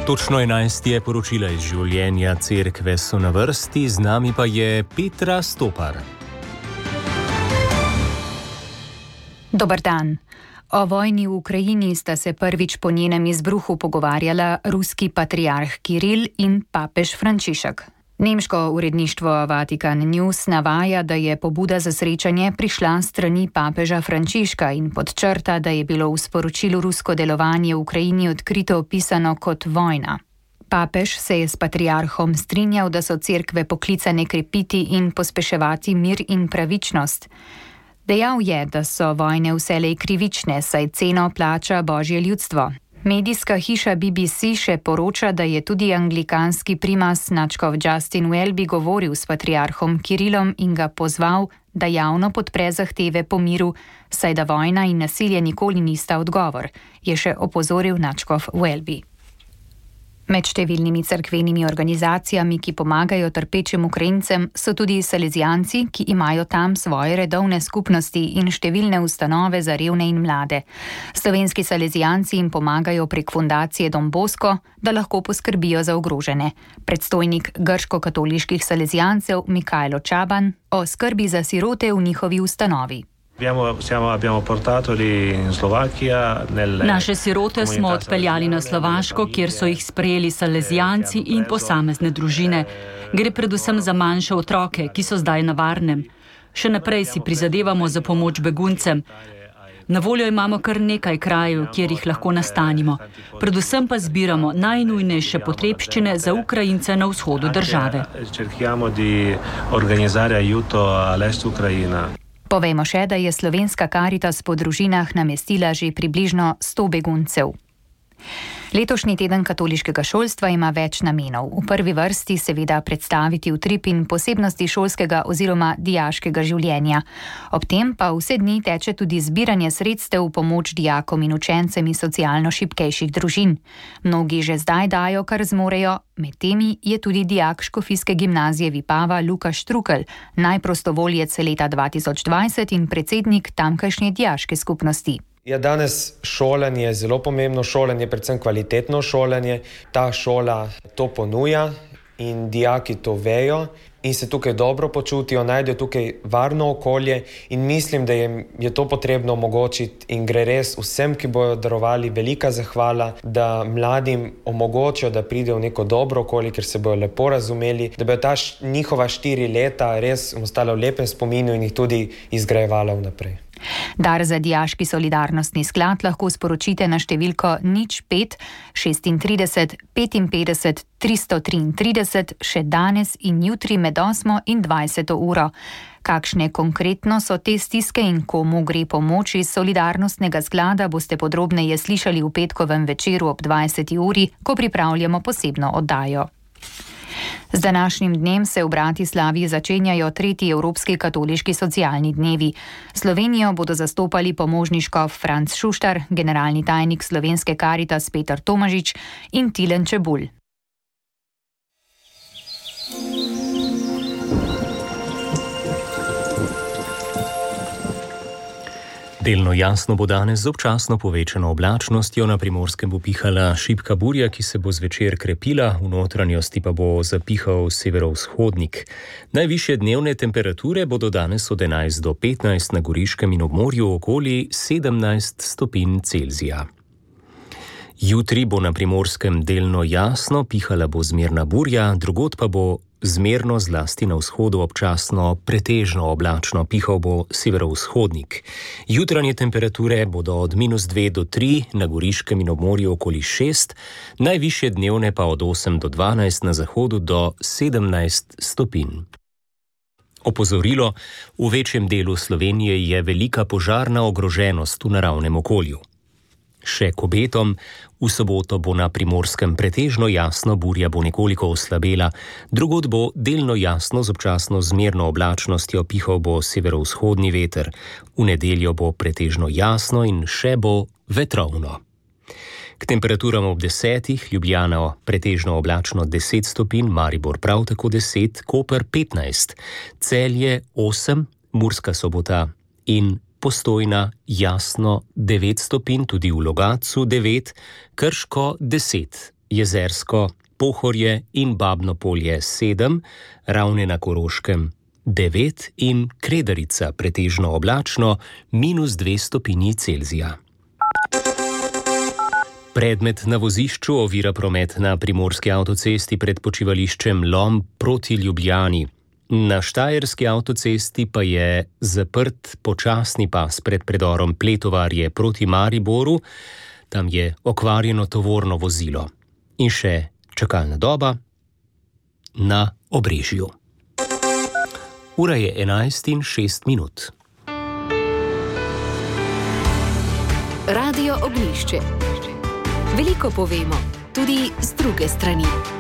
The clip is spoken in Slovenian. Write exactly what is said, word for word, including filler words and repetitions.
Točno enajst je poročila iz življenja cerkve so na vrsti, z nami pa je Petra Stopar. Dober dan. O vojni v Ukrajini sta se prvič po njenem izbruhu pogovarjala ruski patriarh Kiril in papež Frančišek. Nemško uredništvo Vatikan News navaja, da je pobuda za srečanje prišla strani papeža Frančiška in podčrta, da je bilo v sporočilu rusko delovanje v Ukrajini odkrito opisano kot vojna. Papež se je s patriarhom strinjal, da so cerkve poklicane krepiti in pospeševati mir in pravičnost. Dejal je, da so vojne vselej krivične, saj ceno plača božje ljudstvo. Medijska hiša B B C še poroča, da je tudi anglikanski primas nadškof Justin Welby govoril s patriarhom Kirilom in ga pozval, da javno podpre zahteve po miru, saj da vojna in nasilje nikoli nista odgovor, je še opozoril nadškof Welby. Med številnimi cerkvenimi organizacijami, ki pomagajo trpečim Ukrajincem, so tudi salezijanci, ki imajo tam svoje redovne skupnosti in številne ustanove za revne in mlade. Slovenski salezijanci jim pomagajo prek fundacije Don Bosco, da lahko poskrbijo za ogrožene. Predstojnik grško-katoliških salezijancev Mikajlo Čaban o skrbi za sirote v njihovi ustanovi. Naše sirote smo odpeljali na Slovaško, kjer so jih sprejeli salezijanci in posamezne družine. Gre predvsem za manjše otroke, ki so zdaj na varnem. Še naprej si prizadevamo za pomoč beguncem. Na voljo imamo kar nekaj krajev, kjer jih lahko nastanimo. Predvsem pa zbiramo najnujnejše potrebščine za Ukrajince na vzhodu države. Povejmo še, da je Slovenska Karitas po družinah namestila že približno sto beguncev. Letošnji teden katoliškega šolstva ima več namenov. V prvi vrsti seveda predstaviti utrip in posebnosti šolskega oziroma dijaškega življenja. Ob tem pa vse dni teče tudi zbiranje sredstev v pomoč dijakom in učencem iz socialno šibkejših družin. Mnogi že zdaj dajo, kar zmorejo, med temi je tudi dijak Škofijske gimnazije Vipava Lukaš Štrukelj, najprostovoljec leta dva tisoč dvajset in predsednik tamkajšnje dijaške skupnosti. Ja, danes šolanje je zelo pomembno, šolanje je predvsem kvalitetno šolanje. Ta šola to ponuja in dijaki to vejo in se tukaj dobro počutijo, najdejo tukaj varno okolje in mislim, da jim je to potrebno omogočiti in gre res vsem, ki bojo darovali, velika zahvala, da mladim omogočijo, da pridejo v neko dobro okolje, ker se bojo lepo razumeli, da bojo ta š, njihova štiri leta res ostala v lepem spominu in jih tudi izgrajevala vnaprej. Dar za dijaški solidarnostni sklad lahko sporočite na številko nič pet šestintrideset petinpetdeset tristo triintrideset še danes in jutri med osmo in dvajseto uro. Kakšne konkretno so te stiske in komu gre pomoč iz solidarnostnega sklada, boste podrobneje slišali v petkovem večeru ob dvajseti uri, ko pripravljamo posebno oddajo. Z današnjim dnem se v Bratislavi začenjajo tretji Evropski katoliški socialni dnevi. Slovenijo bodo zastopali pomožni škof Franc Šuštar, generalni tajnik Slovenske Karitas Peter Tomažič in Tilen Čebulj. Delno jasno bo danes z občasno povečano oblačnostjo, na Primorskem bo pihala šibka burja, ki se bo zvečer krepila, v notranjosti pa bo zapihal severovzhodnik. Najvišje dnevne temperature bodo danes od enajst do petnajst, na Goriškem in ob morju okoli sedemnajst stopinj Celzija. Jutri bo na Primorskem delno jasno, pihala bo zmerna burja, drugod pa bo zmerno, zlasti na vzhodu občasno pretežno oblačno, pihal bo severovzhodnik. Jutranje temperature bodo od minus dve do tri, na Goriškem in ob morju okoli šest, najvišje dnevne pa od osem do dvanajst, na zahodu do sedemnajst stopinj. Opozorilo: v večjem delu Slovenije je velika požarna ogroženost v naravnem okolju. Še k obetom: v soboto bo na Primorskem pretežno jasno, burja bo nekoliko oslabela, drugod bo delno jasno z občasno zmerno oblačnostjo, pihal bo severovzhodni veter. V nedeljo bo pretežno jasno in še bo vetrovno. K temperaturam ob desetih: Ljubljana pretežno oblačno deset stopinj, Maribor prav tako deset, Koper petnajst, Celje osem, Murska Sobota in Postojna jasno devet stopinj, tudi v Logatcu devet, Krško deset, Jezersko, Pohorje in Babno Polje sedem, Ravne na Koroškem devet in Kredarica pretežno oblačno minus dve stopinji Celzija. Predmet na vozišču ovira promet na primorski avtocesti pred počivališčem Lom proti Ljubljani. Na štajerski avtocesti pa je zaprt počasni pas pred predorom Pletovarje proti Mariboru, tam je okvarjeno tovorno vozilo. In še čakalna doba na Obrežju. Ura je enajst in šest minut. Radio Ognjišče. Veliko povemo, tudi z druge strani.